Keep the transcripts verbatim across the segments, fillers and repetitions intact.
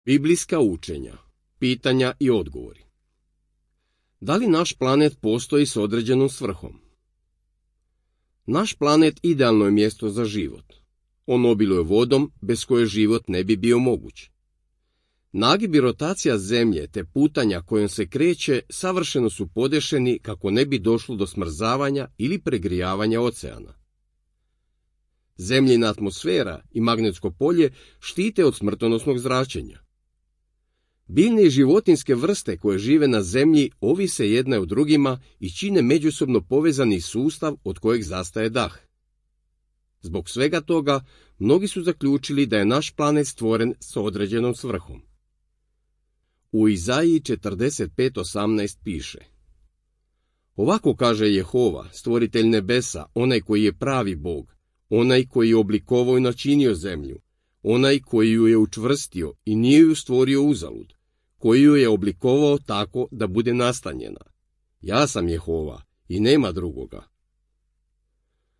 Biblijska učenja, pitanja i odgovori. Da li naš planet postoji s određenom svrhom? Naš planet idealno je mjesto za život. On obiluje vodom, bez koje život ne bi bio moguć. Nagib i rotacija Zemlje te putanja kojom se kreće savršeno su podešeni kako ne bi došlo do smrzavanja ili pregrijavanja oceana. Zemljina atmosfera i magnetsko polje štite od smrtonosnog zračenja. Biljne i životinjske vrste koje žive na Zemlji ovise jedne o drugima i čine međusobno povezani sustav od kojeg zastaje dah. Zbog svega toga, mnogi su zaključili da je naš planet stvoren s određenom svrhom. U Izaiji četrdeset pet osamnaest piše: Ovako kaže Jehova, stvoritelj nebesa, onaj koji je pravi Bog, onaj koji je oblikovao i načinio zemlju, onaj koji ju je učvrstio i nije ju stvorio uzalud, koji ju je oblikovao tako da bude nastanjena. Ja sam Jehova i nema drugoga.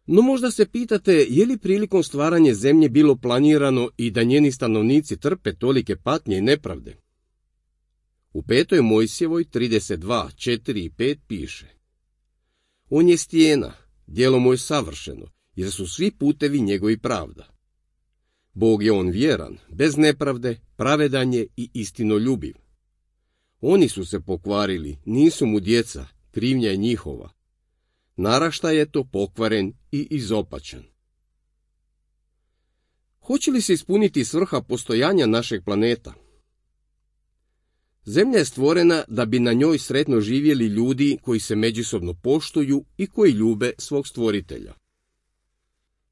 No možda se pitate, je li prilikom stvaranja zemlje bilo planirano i da njeni stanovnici trpe tolike patnje i nepravde? U petoj Mojsijevoj trideset dva, četiri i pet piše: On je stijena, djelo mu je savršeno, jer su svi putevi njegovi pravda. Bog je on vjeran, bez nepravde, pravedan je i istinoljubiv. Oni su se pokvarili, nisu mu djeca, krivnja je njihova. Naraštaj je to pokvaren i izopačan. Hoće li se ispuniti svrha postojanja našeg planeta? Zemlja je stvorena da bi na njoj sretno živjeli ljudi koji se međusobno poštuju i koji ljube svog stvoritelja.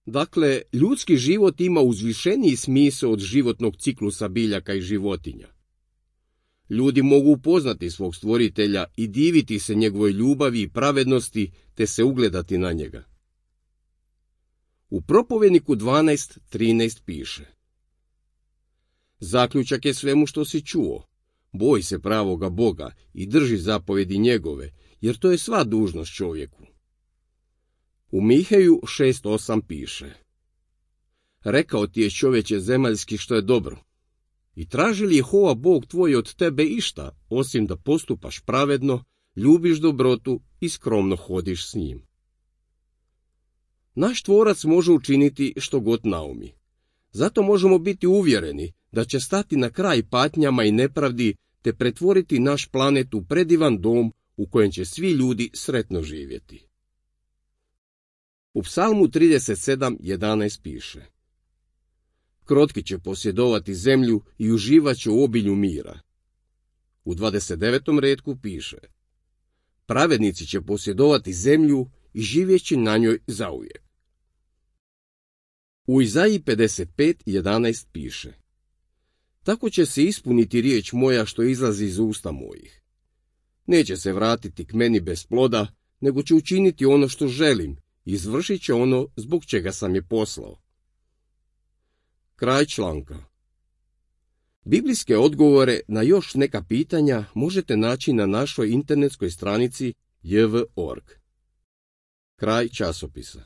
Dakle, ljudski život ima uzvišeniji smisao od životnog ciklusa biljaka i životinja. Ljudi mogu upoznati svog stvoritelja i diviti se njegovoj ljubavi i pravednosti, te se ugledati na njega. U Propovjedniku dvanaest trinaest piše: Zaključak je svemu što si čuo. Boj se pravoga Boga i drži zapovjedi njegove, jer to je sva dužnost čovjeku. U Miheju šest osam piše: Rekao ti je čovječe zemaljski što je dobro. I traži li Jehova Bog tvoj od tebe išta, osim da postupaš pravedno, ljubiš dobrotu i skromno hodiš s njim? Naš tvorac može učiniti što god naumi. Zato možemo biti uvjereni da će stati na kraj patnjama i nepravdi te pretvoriti naš planet u predivan dom u kojem će svi ljudi sretno živjeti. U Psalmu trideset sedam jedanaest piše: Krotki će posjedovati zemlju i uživat će u obilju mira. U dvadeset devetom retku piše: Pravednici će posjedovati zemlju i živjet će na njoj zauvijek. U Izaiji pedeset pet jedanaest piše: Tako će se ispuniti riječ moja što izlazi iz usta mojih. Neće se vratiti k meni bez ploda, nego će učiniti ono što želim i izvršit će ono zbog čega sam je poslao. Kraj članka. Biblijske odgovore na još neka pitanja možete naći na našoj internetskoj stranici j v точка org. Kraj časopisa.